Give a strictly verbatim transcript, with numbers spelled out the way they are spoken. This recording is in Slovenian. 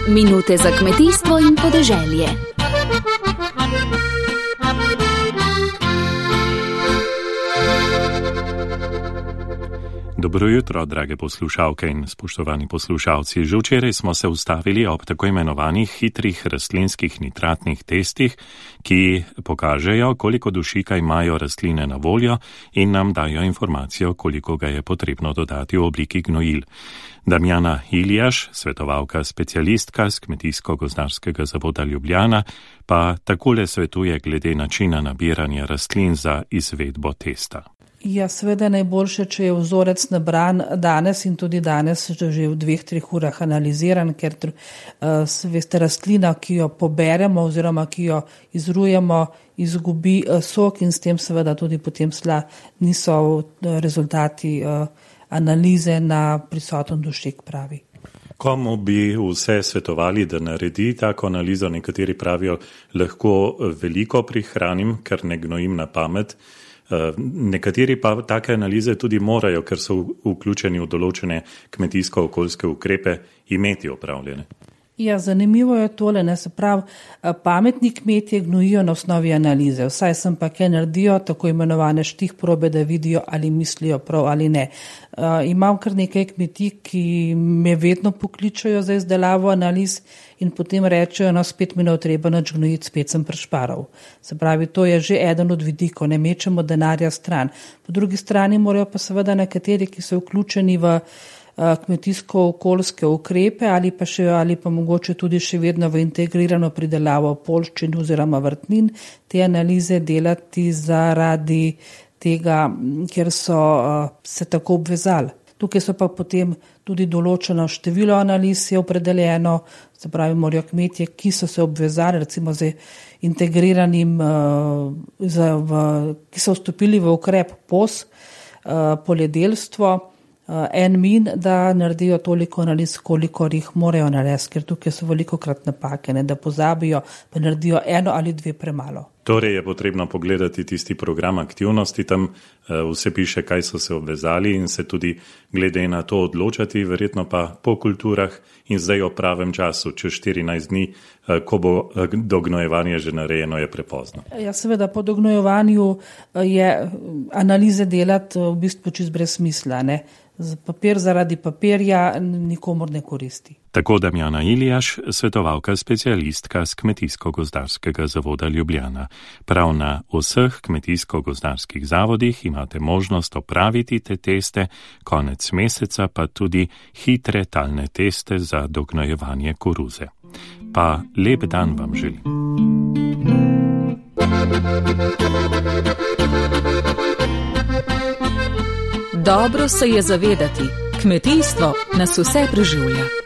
Minute za kmetijstvo in podeželje. Dobro jutro, drage poslušalke in spoštovani poslušalci. Že včeraj smo se ustavili ob tako imenovanih hitrih rastlinskih nitratnih testih, ki pokažejo, koliko dušika imajo rastline na voljo in nam dajo informacijo, koliko ga je potrebno dodati v obliki gnojil. Damjana Iljaš, svetovalka specialistka z Kmetijsko-gozdarskega zavoda Ljubljana, pa takole svetuje glede načina nabiranja rastlin za izvedbo testa. Ja, seveda najboljše, če je vzorec nabran danes in tudi danes že v dveh, treh urah analiziran, ker uh, veste, rastlina, ki jo poberemo oziroma ki jo izrujemo, izgubi uh, sok in s tem seveda tudi potem sla niso uh, rezultati uh, analize na prisoten dušik pravi. Komu bi vse svetovali, da naredi tako analizo? Nekateri pravijo, lahko veliko prihranim, ker ne gnojim na pamet. Nekateri pa take analize tudi morajo, ker so vključeni v določene kmetijsko-okoljske ukrepe, imeti opravljene. Ja, zanimivo je tole, ne, se pravi, pametni kmetje gnojijo na osnovi analize, vsaj sem pa kaj naredijo, tako imenovane štih probe, da vidijo ali mislijo prav ali ne. Uh, imam kar nekaj kmetij, ki me vedno pokličajo za izdelavo analiz in potem rečejo, no spet mi ne treba nič gnojiti, spet sem prešparal. Se pravi, to je že eden od vidikov, ne mečemo denarja stran. Po drugi strani morajo pa seveda nekateri, ki so vključeni v kmetijsko-okoljske ukrepe ali pa še ali pa mogoče tudi še vedno v integrirano pridelavo poljščin oziroma vrtnin, te analize delati zaradi tega, ker so se tako obvezali. Tukaj so pa potem tudi določeno število analiz je opredeljeno, se pravi, morajo kmetje, ki so se obvezali, recimo z integriranim, z, v, ki so vstopili v ukrep P O S, poljedelstvo, en min, da naredijo toliko analiz, koliko jih morajo narediti, ker tukaj so velikokrat napake, ne, da pozabijo, pa naredijo eno ali dve premalo. Torej je potrebno pogledati tisti program aktivnosti, tam vse piše, kaj so se obvezali in se tudi glede na to odločati, verjetno pa po kulturah in zdaj o pravem času, čez štirinajst dni, ko bo dognojevanje že narejeno, je prepozno. Ja, seveda po dognojevanju je analize delati v bistvu čist brez smisla, ne. Papir zaradi papirja nikomor ne koristi. Tako Damjana Iljaš, svetovalka specialistka z Kmetijsko-gozdarskega zavoda Ljubljana. Prav na vseh kmetijsko-gozdarskih zavodih imate možnost opraviti te teste, konec meseca pa tudi hitre talne teste za dognojevanje koruze. Pa lep dan vam želim. Dobro se je zavedati, kmetijstvo nas vse preživlja.